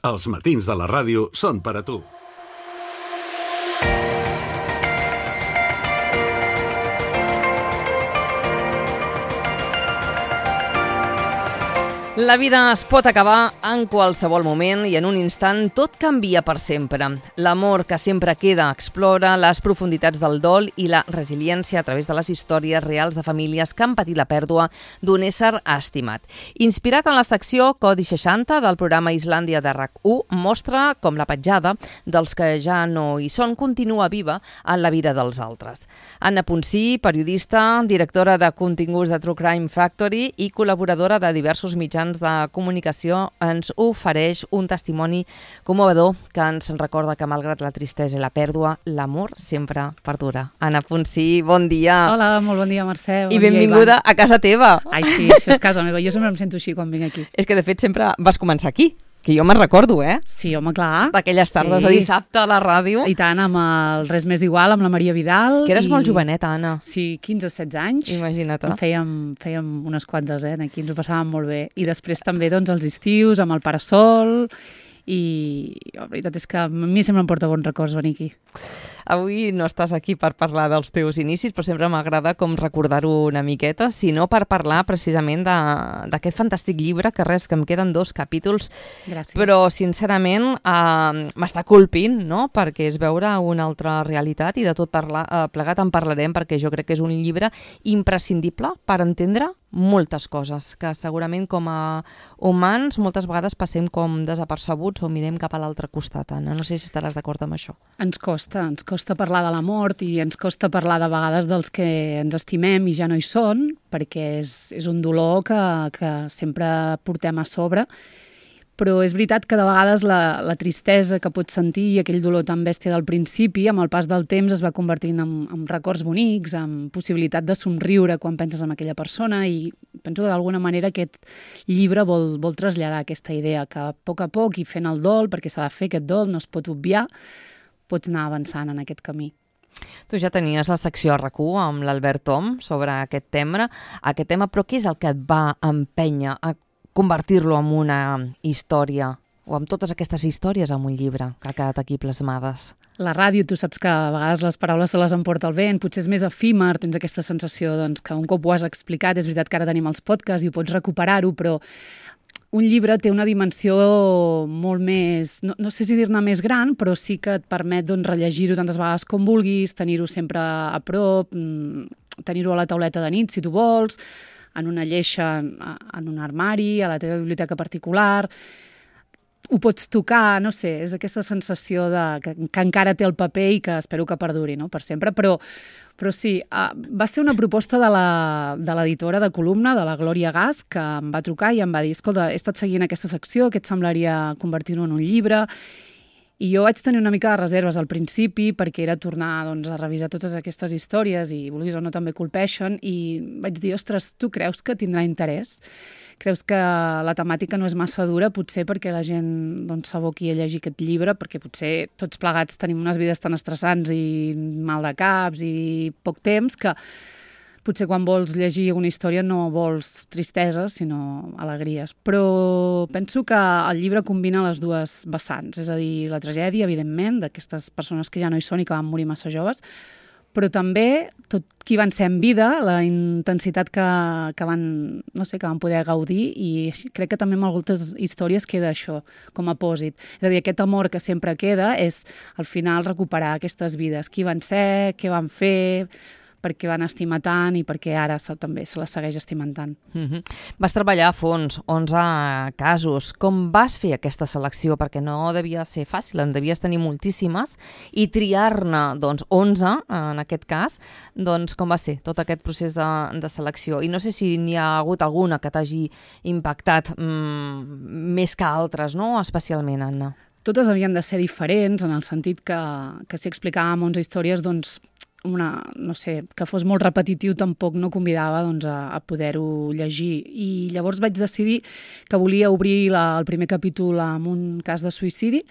Els matins de la ràdio són per a tu. La vida es pot acabar en qualsevol moment i en un instant tot canvia per sempre. L'amor que sempre queda explora les profunditats del dol i la resiliència a través de les històries reals de famílies que han patit la pèrdua d'un ésser estimat. Inspirat en la secció Codi 60 del programa Islàndia de RAC1, mostra com la petjada dels que ja no hi són continua viva en la vida dels altres. Anna Ponsí, periodista, directora de continguts de True Crime Factory i col·laboradora de diversos mitjans de comunicació, ens ofereix un testimoni commovedor que ens recorda que malgrat la tristesa i la pèrdua, l'amor sempre perdura. Anna Ponsí, bon dia. Hola, molt bon dia, Mercè. I benvinguda a casa teva. Ai, sí, això és casa meva. Jo sempre em sento així quan vinc aquí. És que, de fet, sempre vas començar aquí. Que jo me'n recordo, Sí, home, clar. D'aquelles tardes de dissabte a la ràdio. I tant, amb el Res Més Igual, amb la Maria Vidal. Que eres molt joveneta, Anna. Sí, 15 o 16 anys. Imagina't. Fèiem unes quantes, aquí ens ho passàvem molt bé. I després també, doncs, els estius, amb el Parasol. I la veritat és que a mi sempre em porta bons records venir aquí. Avui no estàs aquí per parlar dels teus inicis, però sempre m'agrada com recordar-ho una miqueta, sinó per parlar precisament d'aquest fantàstic llibre, que em queden 2 capítols. Gràcies. Però sincerament m'està colpint, no?, perquè és veure una altra realitat i de tot plegat en parlarem, perquè jo crec que és un llibre imprescindible per entendre moltes coses, que segurament com a humans moltes vegades passem com desapercebuts o mirem cap a l'altre costat, Anna. No sé si estaràs d'acord amb això. Ens costa parlar de la mort i ens costa parlar de vegades dels que ens estimem i ja no hi són, perquè és un dolor que sempre portem a sobre. Però és veritat que de vegades la tristesa que pots sentir i aquell dolor tan bèstia del principi, amb el pas del temps es va convertint en records bonics, en possibilitat de somriure quan penses en aquella persona, i penso que d'alguna manera aquest llibre vol traslladar aquesta idea que a poc i fent el dol, perquè s'ha de fer aquest dol, no es pot obviar, pots anar avançant en aquest camí. Tu ja tenies la secció a RAC1 amb l'Albert Tom sobre aquest tema, però què és el que et va empènyer a convertir-lo en una història, o amb totes aquestes històries en un llibre que ha quedat aquí plasmades? La ràdio, tu saps que a vegades les paraules se les emporta el vent, potser és més efímer, tens aquesta sensació que un cop ho has explicat, és veritat que ara tenim els podcasts i ho pots recuperar-ho, però un llibre té una dimensió molt més, no sé si dir-ne més gran, però sí que et permet rellegir-ho tantes vegades com vulguis, tenir-ho sempre a prop, tenir-ho a la tauleta de nit, si tu vols, en una lleixa, en un armari, a la teva biblioteca particular. Ho pots tocar, no sé, és aquesta sensació que encara té el paper i que espero que perduri, no?, per sempre. Però sí, va ser una proposta de l'editora de columna, de la Glòria Gas, que em va trucar i em va dir: escolta, he estat seguint aquesta secció, què et semblaria convertir-ho en un llibre? I jo vaig tenir una mica de reserves al principi perquè era tornar a revisar totes aquestes històries i, vulguis o no, també colpeixen, i vaig dir: ostres, tu creus que tindrà interès? Creus que la temàtica no és massa dura, potser perquè la gent s'aboqui a llegir aquest llibre, perquè potser tots plegats tenim unes vides tan estressants i mal de caps i poc temps que potser quan vols llegir una història no vols tristesa, sinó alegries. Però penso que el llibre combina les dues vessants, és a dir, la tragèdia, evidentment, d'aquestes persones que ja no hi són i que van morir massa joves, però també tot qui van ser en vida, la intensitat que van poder gaudir, i crec que també en moltes històries queda això com a pòsit. És a dir, aquest amor que sempre queda és, al final, recuperar aquestes vides. Qui van ser, què van fer, per què van estimar tant i per què ara també se les segueix estimant tant. Vas treballar a fons, 11 casos. Com vas fer aquesta selecció? Perquè no devia ser fàcil, en devies tenir moltíssimes, i triar-ne 11, en aquest cas, com va ser tot aquest procés de selecció? I no sé si n'hi ha hagut alguna que t'hagi impactat més que altres, no? Especialment, Anna. Totes havien de ser diferents, en el sentit que si explicàvem 11 històries, que fos molt repetitiu tampoc no convidava a poder-ho llegir. I llavors vaig decidir que volia obrir el primer capítol amb un cas de suïcidi,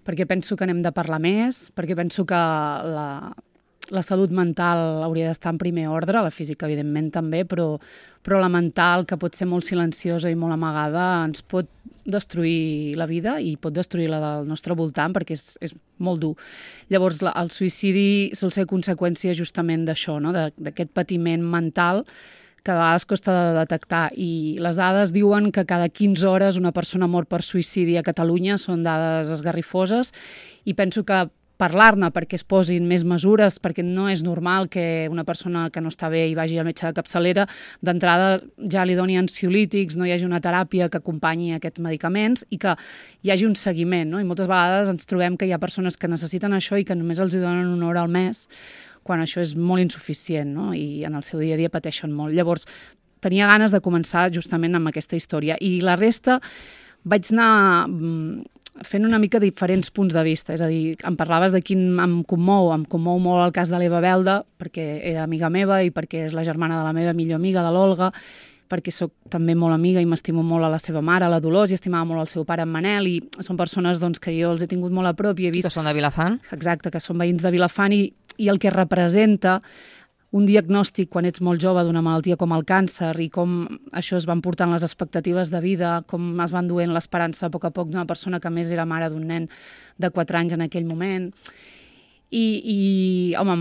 perquè penso que n'hem de parlar més, perquè penso que la salut mental hauria d'estar en primer ordre, la física evidentment també, però però la mental, que pot ser molt silenciosa i molt amagada, ens pot destruir la vida i pot destruir la del nostre voltant perquè és molt dur. Llavors, el suïcidi sol ser conseqüència justament d'això, no? D'aquest patiment mental que a vegades costa de detectar, i les dades diuen que cada 15 hores una persona mor per suïcidi a Catalunya. Són dades esgarrifoses i penso que parlar-ne perquè es posin més mesures, perquè no és normal que una persona que no està bé i vagi al metge de capçalera, d'entrada ja li doni ansiolítics, no hi hagi una teràpia que acompanyi aquests medicaments i que hi hagi un seguiment, no? I moltes vegades ens trobem que hi ha persones que necessiten això i que només els donen una hora al mes, quan això és molt insuficient, no? I en el seu dia a dia pateixen molt. Llavors, tenia ganes de començar justament amb aquesta història. I la resta vaig anar fent una mica diferents punts de vista, és a dir, em parlaves de quin em commou molt el cas de l'Eva Belda, perquè era amiga meva i perquè és la germana de la meva millor amiga, de l'Olga, perquè sóc també molt amiga i m'estimo molt a la seva mare, a la Dolors, i estimava molt el seu pare, en Manel, i són persones doncs, que jo els he tingut molt a prop i he vist... Que són de Vilafant. Exacte, que són veïns de Vilafant, i el que representa un diagnòstic quan ets molt jove d'una malaltia com el càncer i com això es van portant les expectatives de vida, com es van duent l'esperança a poc d'una persona que més era mare d'un nen de 4 anys en aquell moment. I home,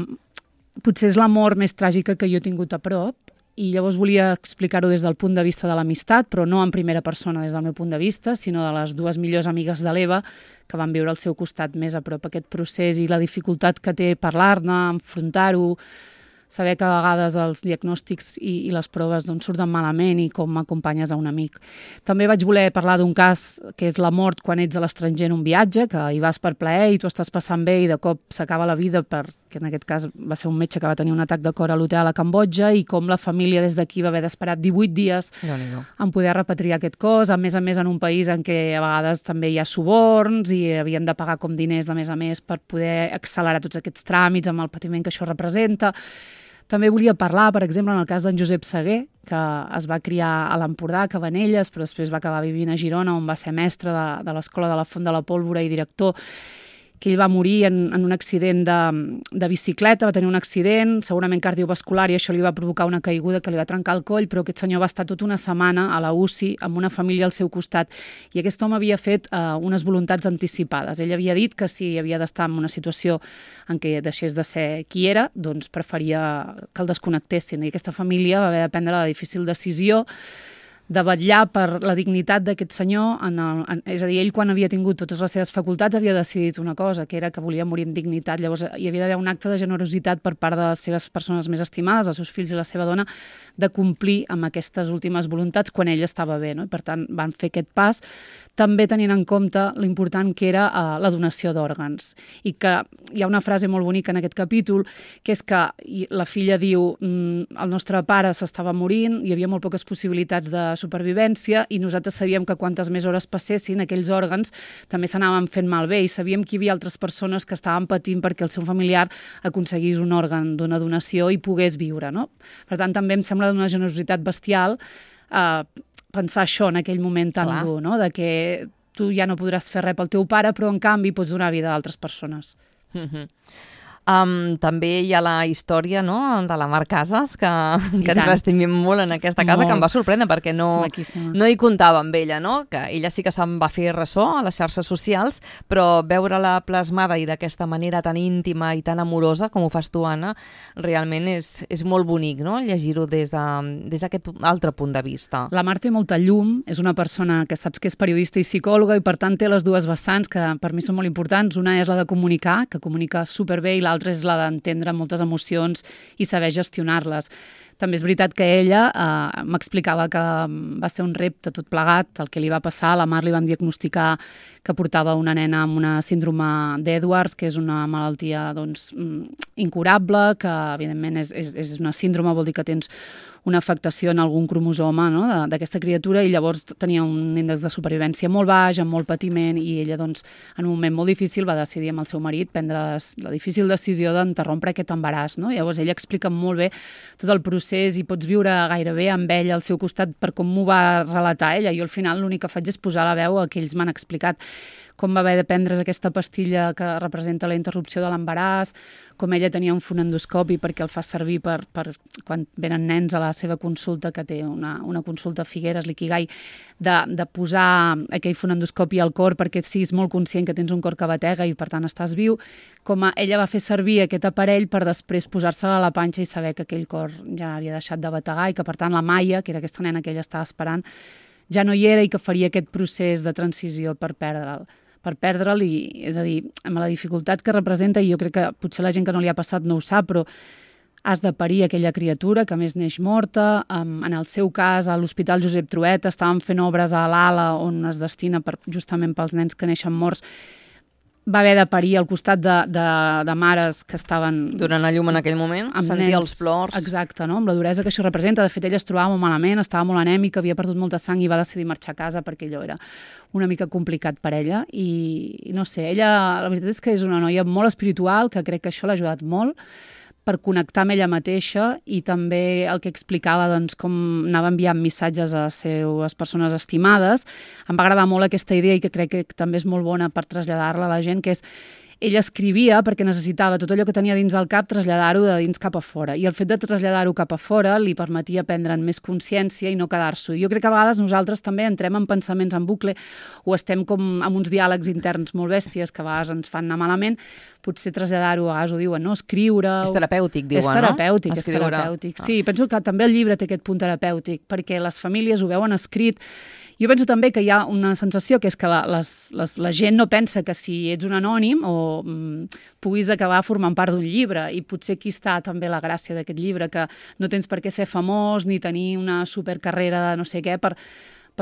potser és la mort més tràgica que jo he tingut a prop, i llavors volia explicar-ho des del punt de vista de l'amistat, però no en primera persona des del meu punt de vista, sinó de les 2 millors amigues de l'Eva que van viure al seu costat més a prop aquest procés i la dificultat que té parlar-ne, enfrontar-ho, saber que a vegades els diagnòstics i les proves doncs, surten malament i com acompanyes a un amic. També vaig voler parlar d'un cas que és la mort quan ets a l'estranger en un viatge, que hi vas per plaer i tu estàs passant bé i de cop s'acaba la vida, que en aquest cas va ser un metge que va tenir un atac de cor a l'hotel a Cambodja, i com la família des d'aquí va haver d'esperar 18 dies en poder repatriar aquest cos, a més en un país en què a vegades també hi ha suborns i havien de pagar com diners de més per poder accelerar tots aquests tràmits amb el patiment que això representa. També volia parlar, per exemple, en el cas d'en Josep Seguer, que es va criar a l'Empordà, a Cabanelles, però després va acabar vivint a Girona, on va ser mestre de l'Escola de la Font de la Pólvora i director, que ell va morir en un accident de bicicleta, va tenir un accident, segurament cardiovascular, i això li va provocar una caiguda que li va trencar el coll, però aquest senyor va estar tota una setmana a la UCI amb una família al seu costat, i aquest home havia fet unes voluntats anticipades. Ell havia dit que si havia d'estar en una situació en què deixés de ser qui era, doncs preferia que el desconnectessin, i aquesta família va haver de prendre la difícil decisió de vetllar per la dignitat d'aquest senyor, és a dir, ell quan havia tingut totes les seves facultats havia decidit una cosa, que era que volia morir amb dignitat. Llavors hi havia d'haver un acte de generositat per part de les seves persones més estimades, els seus fills i la seva dona, de complir amb aquestes últimes voluntats quan ell estava bé, no? I per tant van fer aquest pas, també tenint en compte l'important que era la donació d'òrgans. I que hi ha una frase molt bonica en aquest capítol, que és que la filla diu el nostre pare s'estava morint, hi havia molt poques possibilitats de supervivència i nosaltres sabíem que quantes més hores passessin aquells òrgans també s'anaven fent malbé, i sabíem que hi havia altres persones que estaven patint perquè el seu familiar aconseguís un òrgan d'una donació i pogués viure, no? Per tant, també em sembla d'una generositat bestial pensar això en aquell moment tan dur, no? De que tu ja no podràs fer res pel teu pare, però en canvi pots donar vida a altres persones. També hi ha la història, no?, de la Mar Casas, que ens l'estimem molt en aquesta casa, que em va sorprendre perquè no hi comptava amb ella, no? Que ella sí que se'n va fer ressò a les xarxes socials, però veure-la plasmada i d'aquesta manera tan íntima i tan amorosa com ho fas tu, Anna, realment és molt bonic, no?, llegir-ho des d'aquest altre punt de vista. La Mar té molta llum, és una persona que saps que és periodista i psicòloga i per tant té les dues vessants que per mi són molt importants. Una és la de comunicar, que comunica superbé, i l'altra és la d'entendre moltes emocions i saber gestionar-les. També és veritat que ella m'explicava que va ser un repte tot plegat, el que li va passar. A la Mar li van diagnosticar que portava una nena amb una síndrome d'Edwards, que és una malaltia doncs, incurable, que evidentment és una síndrome, vol dir que tens una afectació en algun cromosoma, no?, d'aquesta criatura, i llavors tenia un índex de supervivència molt baix, amb molt patiment, i ella, doncs, en un moment molt difícil va decidir amb el seu marit prendre la difícil decisió d'interrompre aquest embaràs, no? Llavors ella explica molt bé tot el procés i pots viure gairebé amb ella al seu costat per com m'ho va relatar ella. Jo al final l'únic que faig és posar la veu a que ells m'han explicat. com va haver de prendre's aquesta pastilla que representa la interrupció de l'embaràs, com ella tenia un fonendoscopi perquè el fa servir per quan venen nens a la seva consulta, que té una consulta a Figueres, l'Ikigai, de posar aquell fonendoscopi al cor perquè siguis molt conscient que tens un cor que batega i per tant estàs viu, com ella va fer servir aquest aparell per després posar-se-la a la panxa i saber que aquell cor ja havia deixat de bategar i que per tant la Maia, que era aquesta nena que ella estava esperant, ja no hi era i que faria aquest procés de transició per perdre'l i, és a dir, amb la dificultat que representa, i jo crec que potser la gent que no li ha passat no ho sap, però has de parir aquella criatura que a més neix morta. En el seu cas, a l'Hospital Josep Trueta estaven fent obres a l'ala on es destina justament pels nens que neixen morts. Va haver de parir al costat de mares que estaven... Donant a llum en aquell moment, sentir els plors. Exacte, no? Amb la duresa que això representa. De fet, ella es trobava molt malament, estava molt anèmica, havia perdut molta sang i va decidir marxar a casa perquè allò era una mica complicat per ella. I no sé, ella, la veritat és que és una noia molt espiritual, que crec que això l'ha ajudat molt per connectar amb ella mateixa i també el que explicava, doncs, com anava enviant missatges a les seves persones estimades. Em va agradar molt aquesta idea i que crec que també és molt bona per traslladar-la a la gent, que és ella escrivia perquè necessitava tot allò que tenia dins del cap traslladar-ho de dins cap a fora. I el fet de traslladar-ho cap a fora li permetia prendre'n més consciència i no quedar-s'ho. Jo crec que a vegades nosaltres també entrem en pensaments en bucle o estem com amb uns diàlegs interns molt bèsties que a vegades ens fan anar malament. Potser traslladar-ho, a vegades ho diuen, no? Escriure... És terapèutic, diuen, no? És Escriure. terapèutic. Sí, penso que també el llibre té aquest punt terapèutic, perquè les famílies ho veuen escrit. Jo penso també que hi ha una sensació que és que la gent no pensa que si ets un anònim o puguis acabar formant part d'un llibre, i potser aquí està també la gràcia d'aquest llibre, que no tens per què ser famós ni tenir una supercarrera de no sé què per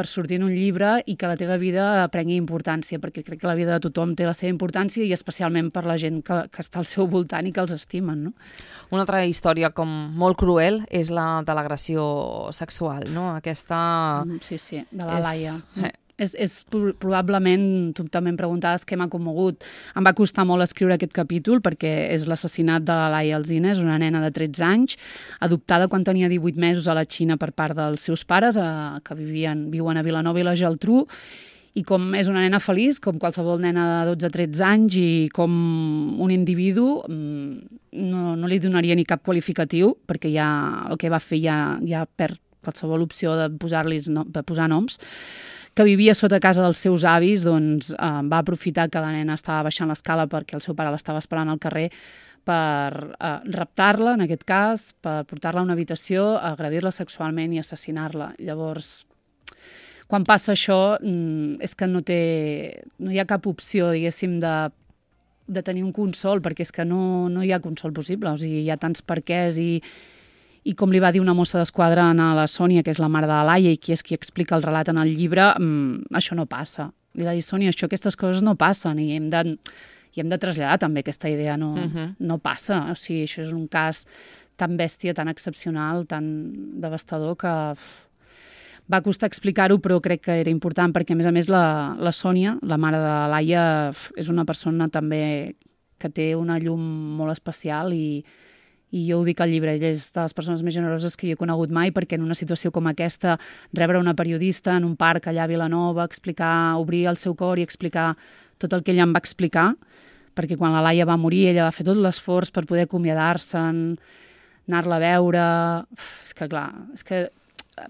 sortir en un llibre i que la teva vida prengui importància, perquè crec que la vida de tothom té la seva importància i especialment per la gent que està al seu voltant i que els estimen, no? Una altra història com molt cruel és la de l'agressió sexual, no? Aquesta... Sí, de la Laia. És probablement, tu també em preguntaves què m'ha commogut. Em va costar molt escriure aquest capítol perquè és l'assassinat de la Laia Alsina, és una nena de 13 anys, adoptada quan tenia 18 mesos a la Xina per part dels seus pares, que viuen a Vilanova i la Geltrú, i com és una nena feliç, com qualsevol nena de 12-13 anys, i com un individu, no li donaria ni cap qualificatiu, perquè ja el que va fer ja perd qualsevol opció de posar noms, que vivia sota casa dels seus avis, doncs va aprofitar que la nena estava baixant l'escala perquè el seu pare l'estava esperant al carrer per raptar-la, en aquest cas, per portar-la a una habitació, agredir-la sexualment i assassinar-la. Llavors, quan passa això, és que no hi ha cap opció, diguéssim, de tenir un consol, perquè és que no hi ha consol possible. O sigui, hi ha tants perquès i com li va dir una mossa d'esquadra a la Sònia, que és la mare de la Laia i qui és qui explica el relat en el llibre, això no passa. Li va dir, Sònia, aquestes coses no passen i hem de traslladar també aquesta idea, no passa. O sigui, això és un cas tan bèstia, tan excepcional, tan devastador, que va costar explicar-ho, però crec que era important, perquè a més la Sònia, la mare de la Laia, és una persona també que té una llum molt especial i jo ho dic al llibre, ella és de les persones més generoses que jo he conegut mai, perquè en una situació com aquesta, rebre una periodista en un parc allà a Vilanova, obrir el seu cor i explicar tot el que ella em va explicar, perquè quan la Laia va morir ella va fer tot l'esforç per poder acomiadar-se'n, anar-la a veure... És que clar, és que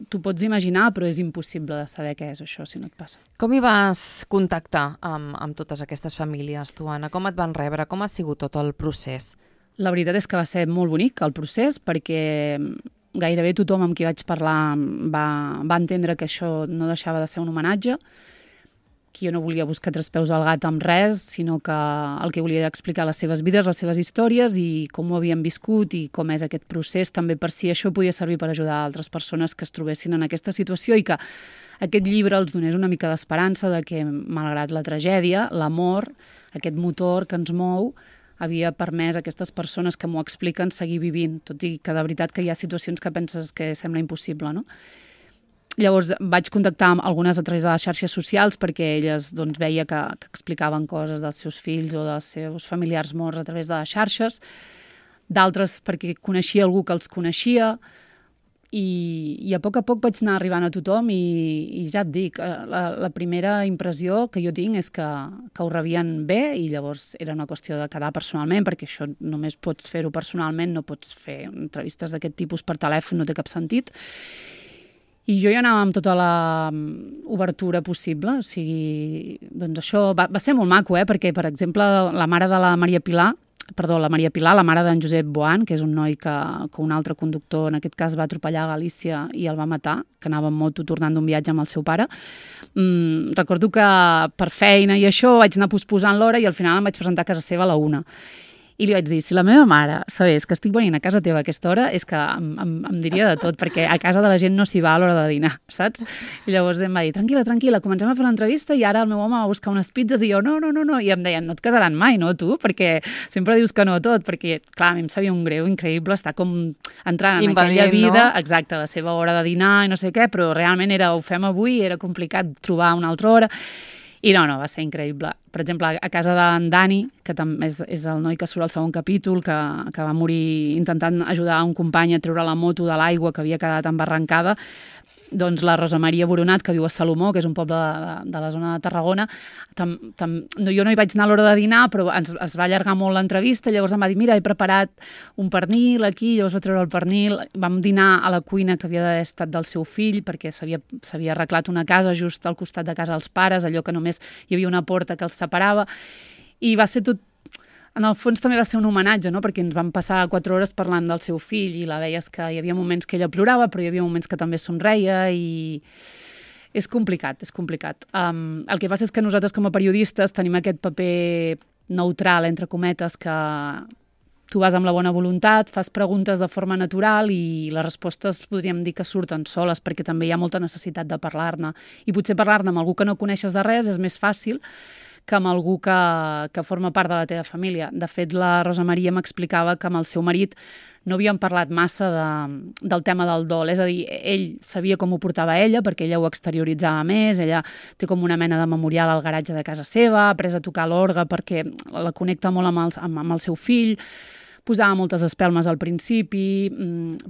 t'ho pots imaginar, però és impossible de saber què és això si no et passa. Com hi vas contactar amb totes aquestes famílies, tu, Anna? Com et van rebre? Com ha sigut tot el procés? La veritat és que va ser molt bonic el procés, perquè gairebé tothom amb qui vaig parlar va entendre que això no deixava de ser un homenatge, que jo no volia buscar tres peus al gat amb res, sinó que el que volia era explicar les seves vides, les seves històries i com ho havien viscut i com és aquest procés, també per si això podia servir per ajudar altres persones que es trobessin en aquesta situació i que aquest llibre els donés una mica d'esperança de que, malgrat la tragèdia, l'amor, aquest motor que ens mou, havia permès a aquestes persones que m'ho expliquen seguir vivint, tot i que de veritat que hi ha situacions que penses que sembla impossible, no? Llavors vaig contactar amb algunes a través de les xarxes socials perquè elles doncs, veia que explicaven coses dels seus fills o dels seus familiars morts a través de les xarxes, d'altres perquè coneixia algú que els coneixia, i a poc vaig anar arribant a tothom i ja et dic, la primera impressió que jo tinc és que ho rebien bé i llavors era una qüestió de quedar personalment, perquè això només pots fer-ho personalment, no pots fer entrevistes d'aquest tipus per telèfon, no té cap sentit. I jo ja anava amb tota la obertura possible, o sigui, doncs això va ser molt maco, perquè, per exemple, la mare de la Maria Pilar, la mare d'en Josep Boan, que és un noi que un altre conductor, en aquest cas, va atropellar a Galícia i el va matar, que anava en moto tornant d'un viatge amb el seu pare. Recordo que per feina i això vaig anar posposant l'hora i al final em vaig presentar a casa seva a la 1. I li vaig dir, si la meva mare sabés que estic venint a casa teva a aquesta hora, és que em diria de tot, perquè a casa de la gent no s'hi va a l'hora de dinar, saps? I llavors em va dir, tranquil·la, comencem a fer l'entrevista i ara el meu home va buscar unes pizzas i jo, no, i em deien, no et casaran mai, no, tu? Perquè sempre dius que no a tot, perquè, clar, a mi em sabia un greu increïble estar com entrant en aquella vida, no? Exacte, la seva hora de dinar i no sé què, però realment ho fem avui, era complicat trobar una altra hora. I no, va ser increïble. Per exemple, a casa d'en Dani, que també és el noi que surt al segon capítol, que va morir intentant ajudar un company a treure la moto de l'aigua que havia quedat embarrancada, doncs la Rosa Maria Boronat, que viu a Salomó, que és un poble de la zona de Tarragona, jo no hi vaig anar a l'hora de dinar, però es va allargar molt l'entrevista, llavors em va dir, mira, he preparat un pernil aquí, llavors va treure el pernil, vam dinar a la cuina que havia d'haver estat del seu fill, perquè s'havia arreglat una casa just al costat de casa dels pares, allò que només hi havia una porta que els separava, i va ser tot. En el fons també va ser un homenatge, no? Perquè ens vam passar 4 hores parlant del seu fill i la veies que hi havia moments que ella plorava, però hi havia moments que també somreia i és complicat. El que passa és que nosaltres com a periodistes tenim aquest paper neutral, entre cometes, que tu vas amb la bona voluntat, fas preguntes de forma natural i les respostes podríem dir que surten soles perquè també hi ha molta necessitat de parlar-ne. I potser parlar-ne amb algú que no coneixes de res és més fàcil que amb algú que forma part de la teva família. De fet, la Rosa Maria m'explicava que amb el seu marit no havien parlat massa del tema del dol. És a dir, ell sabia com ho portava ella, perquè ella ho exterioritzava més, ella té com una mena de memorial al garatge de casa seva, ha après a tocar l'orgue perquè la connecta molt amb el seu fill, posava moltes espelmes al principi,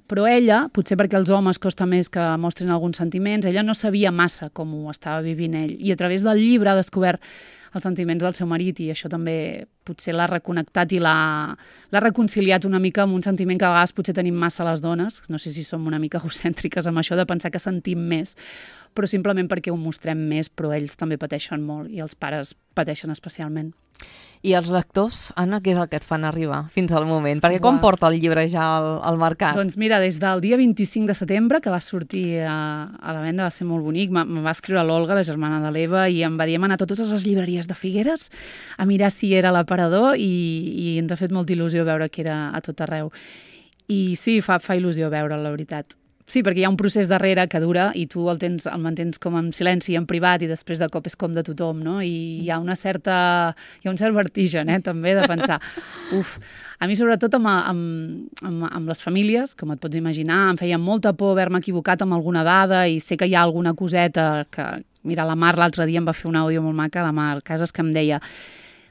però ella, potser perquè als homes costa més que mostrin alguns sentiments, ella no sabia massa com ho estava vivint ell. I a través del llibre ha descobert els sentiments del seu marit i això també potser l'ha reconnectat i l'ha reconciliat una mica amb un sentiment que a vegades potser tenim massa les dones, no sé si som una mica egocèntriques amb això de pensar que sentim més, però simplement perquè ho mostrem més, però ells també pateixen molt i els pares pateixen especialment. I els lectors, Anna, què és el que et fan arribar fins al moment? Perquè quan porta el llibre ja al mercat? Doncs mira, des del dia 25 de setembre, que va sortir a la venda, va ser molt bonic, me va escriure l'Olga, la germana de l'Eva, i em va dir, hem anat a totes les llibreries de Figueres a mirar si era a l'aparador i ens ha fet molta il·lusió veure que era a tot arreu. I sí, fa il·lusió veure'l, la veritat. Sí, perquè hi ha un procés darrere que dura i tu el mantens com en silenci, en privat, i després de cop és com de tothom, no? I hi ha un cert vertigen, també, de pensar, a mi sobretot amb les famílies, com et pots imaginar, em feia molta por haver-me equivocat amb alguna dada i sé que hi ha alguna coseta que, mira, la Mar l'altre dia em va fer un àudio molt maca, la Mar Casas, que em deia,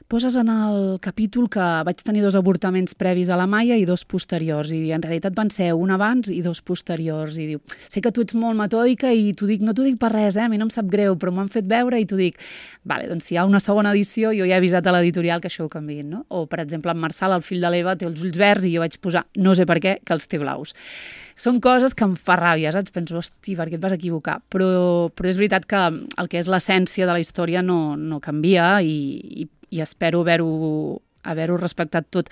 poses en el capítol que vaig tenir 2 avortaments previs a la Maia i 2 posteriors, i en realitat van ser un abans i 2 posteriors, i diu, sé que tu ets molt metòdica i no t'ho dic per res, a mi no em sap greu, però m'ho han fet veure i t'ho dic. Vale, doncs si hi ha una segona edició, jo ja he avisat a l'editorial que això ho canviïn, no? O, per exemple, en Marçal, el fill de l'Eva, té els ulls verds i jo vaig posar, no sé per què, que els té blaus. Són coses que em fa ràbia, saps? Penso, hosti, per què et vas equivocar? Però és veritat que el que és l'essència de la història no canvia i espero haver-ho respectat tot.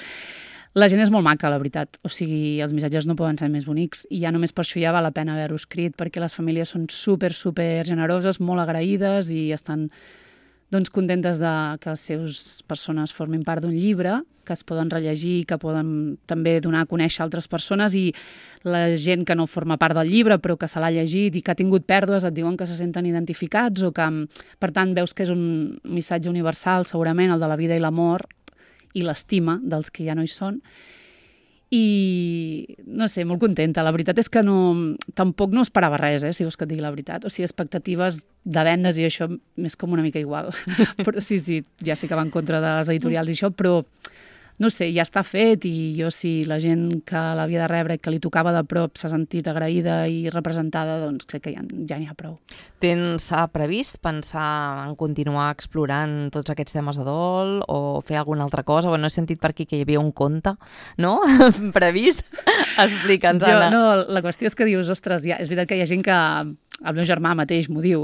La gent és molt maca, la veritat. O sigui, els missatges no poden ser més bonics i ja només per això ja val la pena haver-ho escrit, perquè les famílies són super generoses, molt agraïdes i estan contentes que les seves persones formin part d'un llibre, que es poden rellegir, que poden també donar a conèixer altres persones, i la gent que no forma part del llibre però que se l'ha llegit i que ha tingut pèrdues et diuen que se senten identificats o que, per tant, veus que és un missatge universal, segurament, el de la vida i la mort i l'estima dels que ja no hi són. I, no sé, molt contenta. La veritat és que tampoc no esperava res, si vols que et digui la veritat. O sigui, expectatives de vendes i això m'és com una mica igual. Però sí, ja sé que va en contra de les editorials i això, però no sé, ja està fet i jo si la gent que l'havia de rebre i que li tocava de prop s'ha sentit agraïda i representada, doncs crec que ja n'hi ha prou. Tens previst pensar en continuar explorant tots aquests temes de dol o fer alguna altra cosa? Bueno, he sentit per aquí que hi havia un conte, no? Previst? Explica'ns, Anna. No, la qüestió és que dius, ostres, és veritat que hi ha gent que... El meu germà mateix m'ho diu,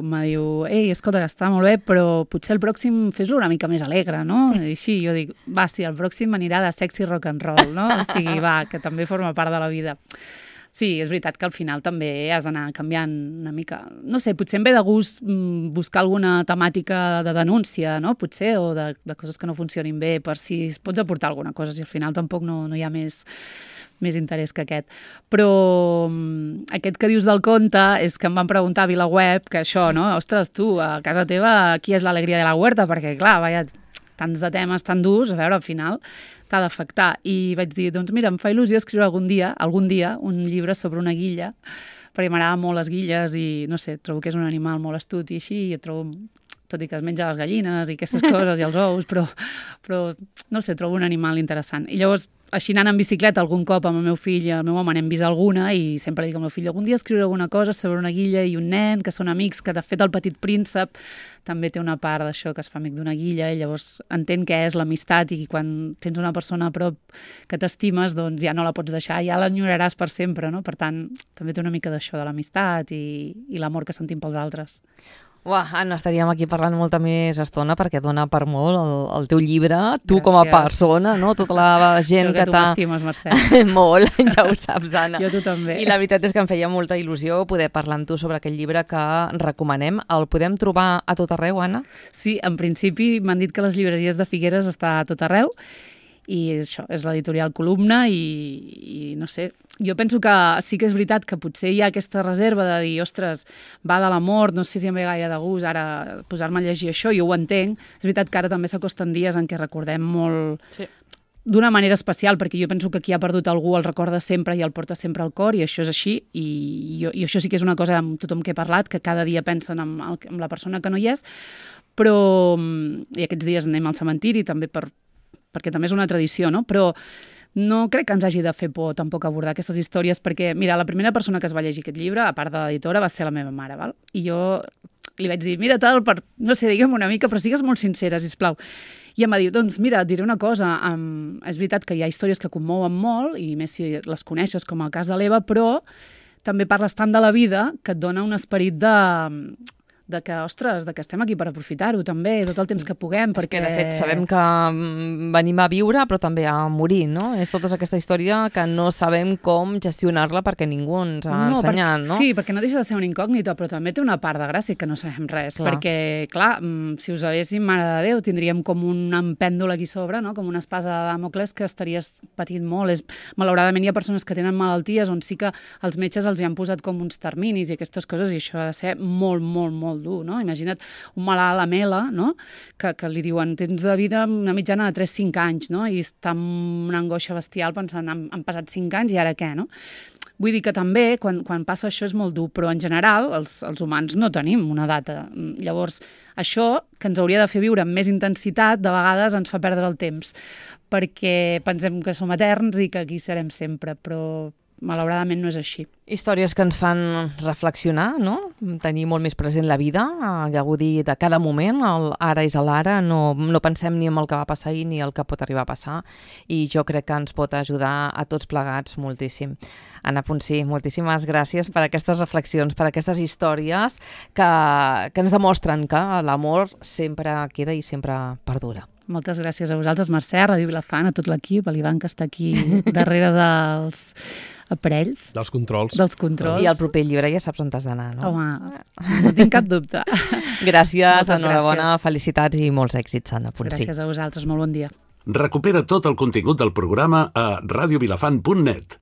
ei, escolta, que està molt bé, però potser el pròxim fes-lo una mica més alegre, no? I així, jo dic, va, sí, el pròxim anirà de sexy rock and roll, no? O sigui, va, que també forma part de la vida. Sí, és veritat que al final també has d'anar canviant una mica. No sé, potser em ve de gust buscar alguna temàtica de denúncia, no? Potser, o de coses que no funcionin bé, per si es pots aportar alguna cosa, si al final tampoc no hi ha més interès que aquest. Però aquest que dius del conte és que em van preguntar a VilaWeb que això, no? Ostres, tu, a casa teva, qui és l'alegria de la huerta? Perquè, clar, vaja, tants de temes tan durs, a veure, al final t'ha d'afectar. I vaig dir, doncs mira, em fa il·lusió escriure algun dia, un llibre sobre una guilla, perquè m'agraden molt les guilles i, no sé, trobo que és un animal molt astut i així, i trobo, tot i que es menja les gallines i aquestes coses i els ous, però no sé, trobo un animal interessant. I llavors, així anant en bicicleta algun cop amb el meu fill i el meu home n'hem vist alguna i sempre dic al meu fill, algun dia escriure alguna cosa sobre una guilla i un nen, que són amics, que de fet el Petit Príncep també té una part d'això, que es fa amic d'una guilla i llavors entén què és l'amistat i quan tens una persona a prop que t'estimes, doncs ja no la pots deixar, ja l'enyoraràs per sempre, no? Per tant, també té una mica d'això, de l'amistat i l'amor que sentim pels altres. Uah, Anna, estaríem aquí parlant molta més estona perquè dona per molt el teu llibre, tu Gràcies. Com a persona, no? Tota la gent que tu m'estimes, Mercè. Molt, ja ho saps, Anna. Jo tu també. I la veritat és que em feia molta il·lusió poder parlar amb tu sobre aquell llibre que recomanem. El podem trobar a tot arreu, Anna? Sí, en principi m'han dit que les llibreries de Figueres està a tot arreu i això, és l'editorial Columna i no sé, jo penso que sí que és veritat que potser hi ha aquesta reserva de dir, ostres, va de l'amor, no sé si em ve gaire de gust ara posar-me a llegir això, jo ho entenc. És veritat que ara també s'acosten dies en què recordem molt d'una manera especial, perquè jo penso que qui ha perdut algú el recorda sempre i el porta sempre al cor, i això és així, i això sí que és una cosa amb tothom que he parlat, que cada dia pensen en la persona que no hi és, però i aquests dies anem al cementiri també perquè també és una tradició, no? Però no crec que ens hagi de fer por tampoc abordar aquestes històries, perquè, mira, la primera persona que es va llegir aquest llibre, a part de l'editora, va ser la meva mare, val? I jo li vaig dir, mira, tal, no sé, digue'm una mica, però sigues molt sincera, sisplau. I em va dir, doncs mira, et diré una cosa, és veritat que hi ha històries que commouen molt, i més si les coneixes, com el cas de l'Eva, però també parles tant de la vida que et dona un esperit de que, ostres, de que estem aquí per aprofitar-ho també, tot el temps que puguem, perquè... És que, de fet, sabem que venim a viure, però també a morir, no? És tota aquesta història que no sabem com gestionar-la perquè ningú ens ha ensenyat, no? Sí, perquè no deixa de ser una incògnita, però també té una part de gràcia que no sabem res, perquè, clar, si us haguéssim, mare de Déu, tindríem com un pèndol aquí sobre, no? Com una espasa de Dàmocles que estaries patint molt. Malauradament hi ha persones que tenen malalties on sí que els metges els hi han posat com uns terminis i aquestes coses, i això ha de ser molt, molt, molt dur, no? Imagina't un malalt amb ELA, no? Que li diuen, tens de vida una mitjana de 3-5 anys, no? I està amb una angoixa bestial pensant, han passat 5 anys i ara què, no? Vull dir que també, quan passa això és molt dur, però en general els humans no tenim una data. Llavors, això, que ens hauria de fer viure amb més intensitat, de vegades ens fa perdre el temps, perquè pensem que som eterns i que aquí serem sempre, però malauradament no és així. Històries que ens fan reflexionar, no? Tenir molt més present la vida, gaudir de cada moment, ara és l'ara, no pensem ni en el que va passar ahir ni el que pot arribar a passar, i jo crec que ens pot ajudar a tots plegats moltíssim. Anna Ponsí, moltíssimes gràcies per aquestes reflexions, per aquestes històries que ens demostren que l'amor sempre queda i sempre perdura. Moltes gràcies a vosaltres, Mercè, a Ràdio Vilafant, a tot l'equip, a l'Ivan, que està aquí darrere dels aparells. Dels controls. I el proper llibre ja saps on t'has d'anar, no? Home, no tinc cap dubte. Gràcies, enhorabona, felicitats i molts èxits, Anna Ponsí. Gràcies a vosaltres, molt bon dia. Recupera tot el contingut del programa a radiovilafant.net.